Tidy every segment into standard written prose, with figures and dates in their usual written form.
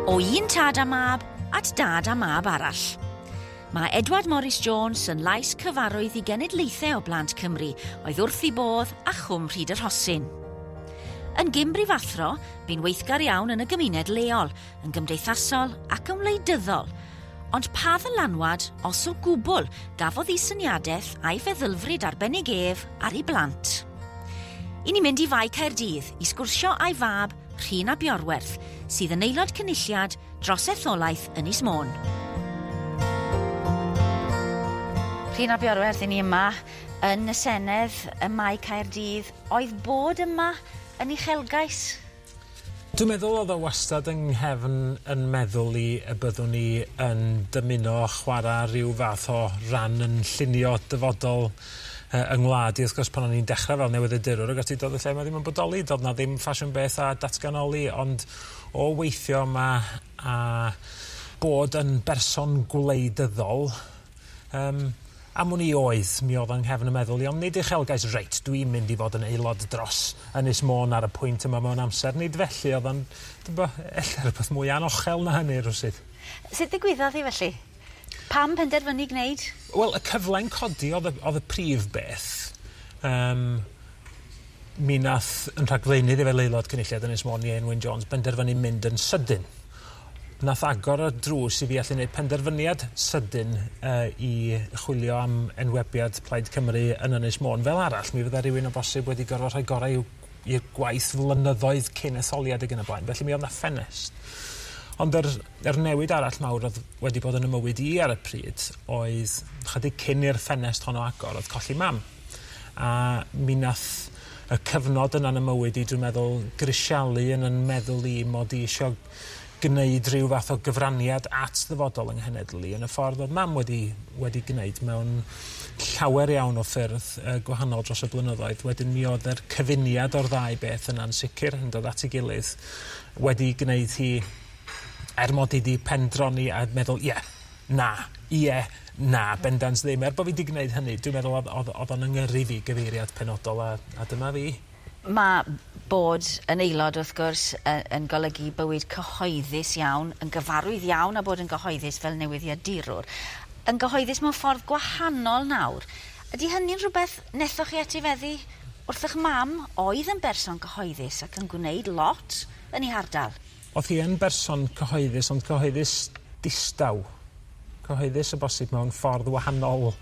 O un tad a mab at dad a mab arall. Mae Edward Morris Jones yn lais cyfarwydd i genedlaethau o blant Cymru oedd wrth ei bodd a Chwm Rhyd y Rhosyn. Yn gyn-brifathro, bu'n weithgar iawn yn y gymuned leol, yn gymdeithasol ac yn wleidyddol. Ond pa ddylanwad, os o gwbl, gafodd ei syniadaeth a'i feddylfryd arbennig ef ar ei blant? I ni mynd i Fae Caerdydd i sgwrsio â'i fab, Rhun ap Iorwerth, sydd yn aelod cynulliad dros etholaeth Ynys Môn. Rhun ap Iorwerth, i ni yma yn y Senedd ym Mae Caerdydd. Oedd bod yma yn uchelgais? Dwi'n meddwl oedd o wastad yng nghefn yn meddwl i y byddwn ni yn dymuno chwarae rhyw fath o ran yn llunio dyfodol yng ngwlad i. Wrth gwrs, pan o'n i'n dechrau fel newyddiadurwr, ac ati, doedd y lle yma ddim yn bodoli, doedd na ddim ffasiwn beth a datganoli, ond o weithio yma a bod yn berson gwleidyddol, am wn i oedd, mi oedd yng nghefn y meddwl i, ond nid uchelgais, reit, dwi'n mynd i fod yn aelod dros Ynys Môn ar y pwynt yma mewn amser. Nid felly, oedd o'n, dwi'n bo, ella rhywbeth mwy anochel na hynny rywsut. Sut ddigwyddodd hi felly? Pam penderfynu gwneud? Wel, y cyfle'n codi oedd y, oedd y prif beth. Mi nath yn rhagflaenydd i fel aelod cynulliad Ynys Môn, Ieuan Wyn Jones, benderfynu mynd yn sydyn. Nath agor y drws i fi allu gwneud penderfyniad sydyn i chwilio am enwebiad Plaid Cymru yn Ynys Môn. Fel arall, mi fydda rhywun o bosib wedi gorfod rhoi gorau i'r gwaith flynyddoedd cyn etholiad ag yn y blaen. Felly mi oedd 'na ffenest. Ond yr newid arall mawr oedd wedi bod yn y mywyd i ar y pryd oedd chydig cyn i'r ffenest honno agor, oedd colli mam. A mi nath y cyfnod yna yn y mywyd i, dwi'n meddwl, grisialu yn yn meddwl i mod i isio gwneud rhyw fath o gyfraniad at ddyfodol yng nghenedl i yn y ffordd oedd mam wedi gwneud mewn llawer iawn o ffyrdd gwahanol dros y blynyddoedd. Wedyn mi oedd yr cyfuniad o'r ddau beth yna'n sicr yn dod at ei gilydd wedi gwneud hi, er mod i 'di pendroni a meddwl, ie, na, ie, na, bendant ddim. Er bod fi 'di gwneud hynny, dwi'n meddwl oedd o'n yngyrru fi gyfeiriad penodol a dyma fi. Mae bod yn aelod, wrth gwrs, yn golygu bywyd cyhoeddus iawn, yn gyfarwydd iawn a bod yn gyhoeddus fel newyddiadurwr. Yn gyhoeddus mewn ffordd gwahanol nawr. Ydy hynny'n rhywbeth nethoch chi etifeddu wrth eich mam oedd yn berson cyhoeddus ac yn gwneud lot yn ei hardal? Oedd hi yn berson cyhoeddus, ond cyhoeddus distaw. Cyhoeddus o bosib mewn ffordd wahanol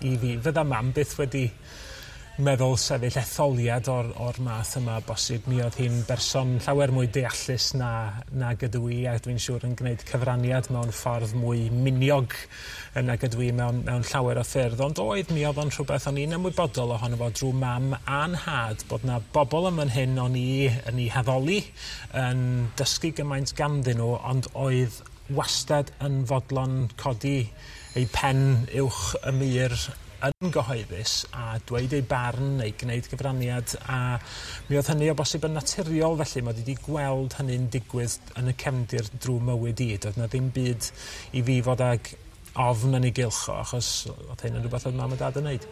i fi. Fydda mam byth wedi meddwl sefyll etholiad o'r math yma bosib. Mi oedd hi'n berson llawer mwy deallus nag ydw i, a dwi'n siŵr yn gwneud cyfraniad mewn ffordd mwy miniog nag ydw i mewn llawer o ffyrdd. Ond oedd, mi oedd o'n rhywbeth o'n i'n ymwybodol ohono fo drwy mam a'n nhad, bod na bobl yn fan hyn o'n i yn ei haddoli, yn dysgu gymaint ganddyn nhw, ond oedd wastad yn fodlon codi ei pen uwch y mur yn gyhoeddus a dweud ei barn neu gwneud gyfraniad, a mi oedd hynny o bosib yn naturiol felly. Mod i wedi gweld hynny'n digwydd yn y cefndir drwy mywyd i. Doedd na ddim byd i fi fod ag ofn yn ei gylch o, achos oedd hyn yn rhywbeth oedd mam a dad yn neud.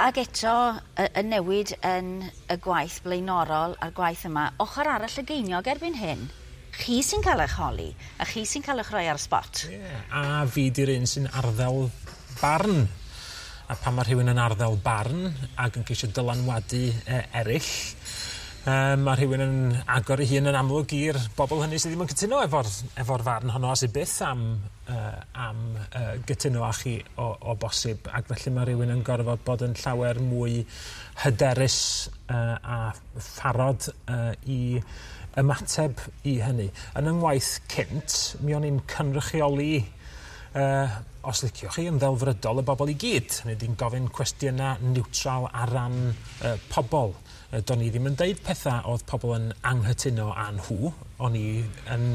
Ac eto, y newid yn y gwaith blaenorol a'r gwaith yma, ochr arall y geiniog erbyn hyn, chi sy'n cael eich holi, a chi sy'n cael eich rhoi ar y spot. Ie, a fi di'r un sy'n arddel barn. A pan mae rhywun yn arddel barn ac yn ceisio dylanwadu eraill, mae rhywun yn agor ei hun yn amlwg i'r bobl hynny sydd ddim yn cytuno efo'r farn honno, a sydd byth am gytuno â chi o bosib. Ac felly mae rhywun yn gorfod bod yn llawer mwy hyderus a pharod i ymateb i hynny. Yn yng ngwaith cynt, mi o'n i'n cynrychioli, os liciwch chi, yn ddelfrydol y bobl i gyd. Hynny yw, gofyn cwestiynau niwtral ar ran pobl. Do'n i ddim yn deud pethau oedd pobl yn anghytuno â nhw. O'n i yn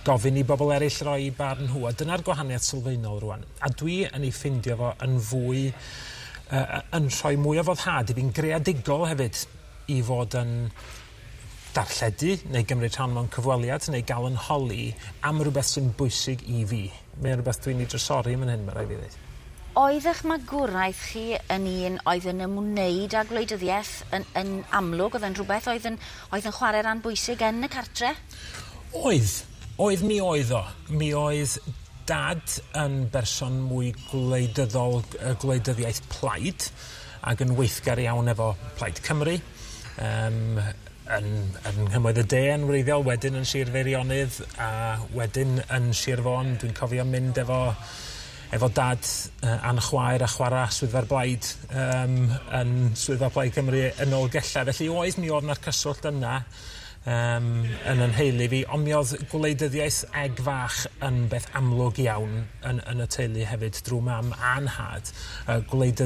gofyn i bobl eraill roi barn nhw, a dyna'r gwahaniaeth sylfaenol rwan. A dwi yn ei ffindio fo yn fwy, yn rhoi mwy o foddhad i fi'n greadigol hefyd i fod yn darlledu neu gymryd rhan mewn cyfweliad neu gael yn holi am rhywbeth sy'n bwysig i fi. Mae'n rhywbeth dwi'n ei drysori yn hyn, mae rhaid fi ddweud. Oedd eich magwraeth chi yn un oedd yn ymwneud â gwleidyddiaeth yn amlwg? Oedd yn rhywbeth oedd yn chwarae rhan bwysig yn y cartre? Oedd. Oedd, mi oedd o. Mi oedd dad yn berson mwy gwleidyddol, gwleidyddiaeth plaid, ac yn weithgar iawn efo Plaid Cymru. Yn nghymoedd y De yn wreiddiol, wedyn yn Sir Feirionnydd, a wedyn yn Sir Fôn. Dwi'n cofio mynd efo dad a'n chwaer a chwarae Swyddfa'r Blaid yn Swyddfa Plaid Cymru yn Nolgellau. Felly oedd, mi oedd na'r cyswllt yna yn yn nheulu fi, ond mi oedd gwleidyddiaeth egg fach yn beth amlwg iawn yn y teulu hefyd drwy mam a'n nhad. Gwleidyddiaeth